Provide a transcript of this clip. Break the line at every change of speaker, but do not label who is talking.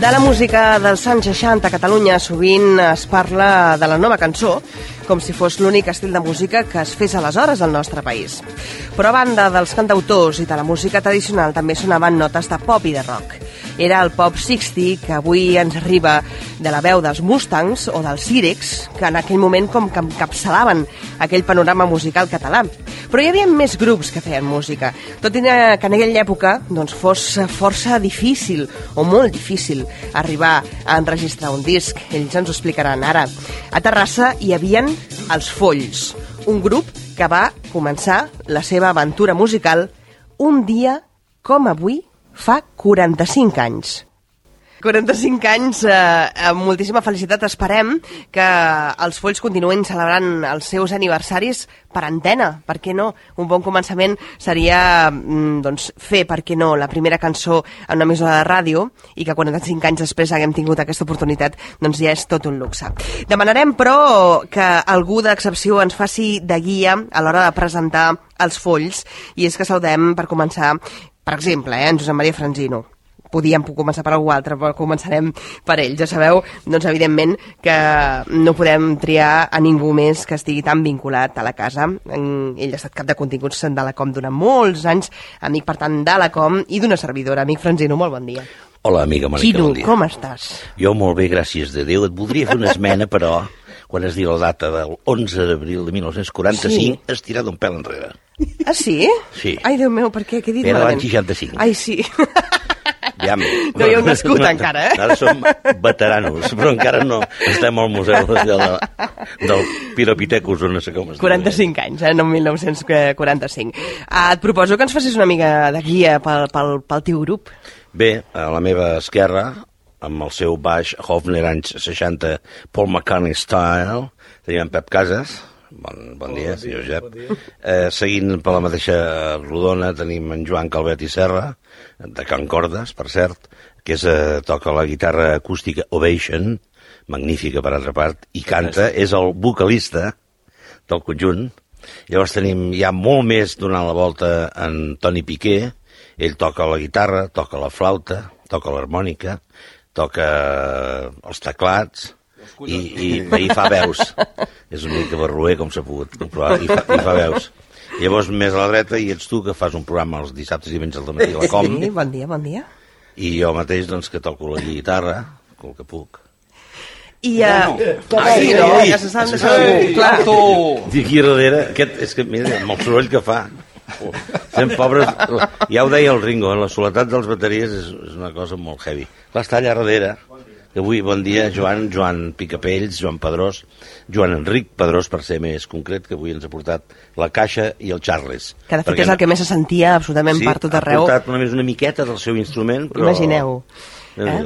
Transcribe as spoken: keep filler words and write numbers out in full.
De la música dels anys seixanta a Catalunya sovint es parla de la nova cançó com si fos l'únic estil de música que es fes aleshores al nostre país. Però a banda dels cantautors i de la música tradicional també sonaven notes de pop i de rock. Era el pop seixanta que avui ens arriba de la veu dels Mustangs o dels Sirex, que en aquell moment com que encapçalaven aquell panorama musical català. Però hi havia més grups que feien música, tot i que en aquella època doncs, fos força difícil o molt difícil arribar a enregistrar un disc. Ells ens ho explicaran ara. A Terrassa hi havia els Folls, un grup que va començar la seva aventura musical un dia com avui fa quaranta-cinc anys. quaranta-cinc anys, eh, amb moltíssima felicitat. Esperem que els Folls continuïn celebrant els seus aniversaris per antena. Per què no? Un bon començament seria doncs, fer, per què no, la primera cançó en una emissora de ràdio i que quaranta-cinc anys després haguem tingut aquesta oportunitat, doncs ja és tot un luxe. Demanarem, però, que algú d'excepció ens faci de guia a l'hora de presentar els Folls, i és que saludem, per començar, per exemple, eh, en Josep Maria Franzino. Podíem començar per algú altre, però començarem per ell. Ja sabeu, doncs, evidentment, que no podem triar a ningú més que estigui tan vinculat a la casa. Ell ha estat cap de continguts de la Com durant molts anys, amic, per tant, de la Com i d'una servidora. Amic Franzino, molt bon dia.
Hola, amiga Mònica,
Xidu,
bon dia.
com estàs?
Jo molt bé, gràcies de Déu. Et voldria fer una esmena, però, quan es diu la data del onze d'abril de mil nou-cents quaranta-cinc, sí. Es tira d'un pèl enrere.
Ah, sí?
Sí.
Ai, Déu meu, per què? Què he dit
Era
malament?
l'any seixanta-cinc.
Ai, sí.
Ja,
no hi heu nascut no, encara, eh?
Ara som veteranos, però encara no estem al museu de, de, del Piropithecus, o no sé com es diu.
quaranta-cinc anys, eh? No mil nou-cents quaranta-cinc. Ah, et proposo que ens facis una mica de guia pel, pel, pel teu grup.
Bé, a la meva esquerra, amb el seu baix Hofner anys seixanta, Paul McCartney style, tenim en Pep Casas. Bon, bon dia, senyor Josep. Bon dia. Eh, seguint per la mateixa rodona tenim en Joan Calvet i Serra, de Can Cordes, per cert, que és, eh, toca la guitarra acústica Ovation, magnífica per altra part, i canta, és el vocalista del conjunt. Llavors tenim ja molt més donant la volta en Toni Piqué. Ell toca la guitarra, toca la flauta, toca l'harmònica, toca els teclats, i, i, i fa veus. És una mica barroer, com s'ha pogut comprovar, i fa, i fa veus. Llavors, més a la dreta, i ets tu, que fas un programa els dissabtes i diumenges al matí a la Com.
Sí, bon dia, bon dia.
I jo mateix, doncs, que toco la guitarra, el que puc.
I a... Uh...
Ah, sí, no?
Ja se sap de segur, clar.
I aquí darrere, aquest, és que, mira, amb el soroll que fa. Fem pobres... Ja ho deia el Ringo, la soledat dels bateries és, és una cosa molt heavy. Clar, està allà darrere. Avui, bon dia, Joan, Joan Picapells, Joan Pedrós, Joan Enric Pedrós, per ser més concret, que avui ens ha portat la Caixa i el Charles.
Que de fet perquè és el que més se sentia absolutament
sí,
per tot arreu.
Sí, ha portat només una miqueta del seu instrument, però...
Imagineu.
Eh?